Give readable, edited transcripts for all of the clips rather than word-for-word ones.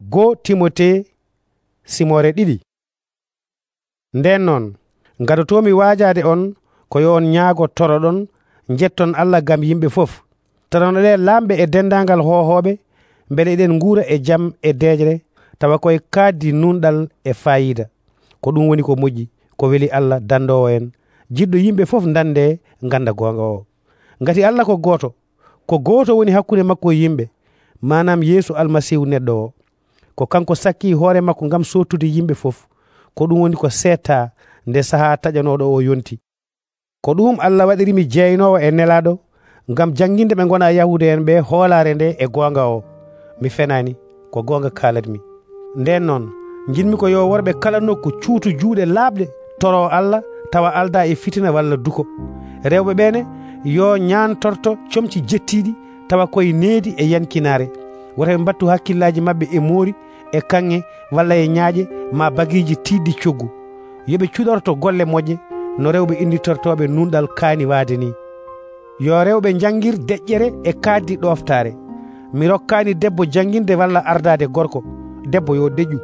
Goo Timote simore 2. Nden non gadotomi waajaade on ko yo on nyaago toroɗon jetton Allah gam yimɓe fof. Toronoɗen lamɓe e dendangal hohoɓe beele eɗen nguura e jam e deejre tawa koye kaddi nunɗal e fayida. Ko ɗum woni ko moƴƴi, ko weli Allah dandowo en, jiɗɗo yimɓe fof dande ganda gonga o. Ngati Allah ko gooto woni hakkunde makko e yimɓe, manam Yeesu Almasihu neɗɗo o. Ko kanko sakki hoore makko ngam sottude yimɓe fof. Ko ɗum woni ko setta nde saha taƴanoɗo o yonti. Ko ɗum Allah waɗirimi jeynowo e nelaɗo ngam janginde ɓe gona Yahuda en ɓe hoolare nde e gonga o. Mi fenani, ko gonga kalatmi. Nden non jinmi ko yo worɓe kala nokku cuutu juuɗe laaɓɗe toro Allah tawa alda e fitina walla duko. Rewɓe ɓene yo ñantorto comci jettiɗi tawa koye needi e yankinare. Woto ɓe mbattu hakkillaji mabɓe e moori e kanŋe walla e ñaaƴe ma bagiji tiɗɗi coggu. Yoɓe cuɗorto golle moƴƴe no rewɓe inditortoɓe nunɗal kaani waade ni. Yo rewɓe jangir deƴƴere e kaddi ɗoftare. Mi rokkani debbo janginde walla ardade gorko. Debbo yo deƴƴu.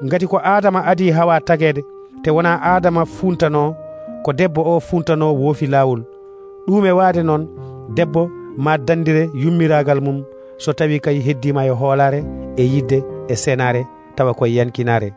Ngati ko Adama adi Hawa tagede, te wona Adama funtano, ko debbo o funtano woofi lawol. Ɗum e waade noon debbo ma dandire yummiragal mum so tawi kay heddima e hoolare e yidde e senare tawa koye yankinare.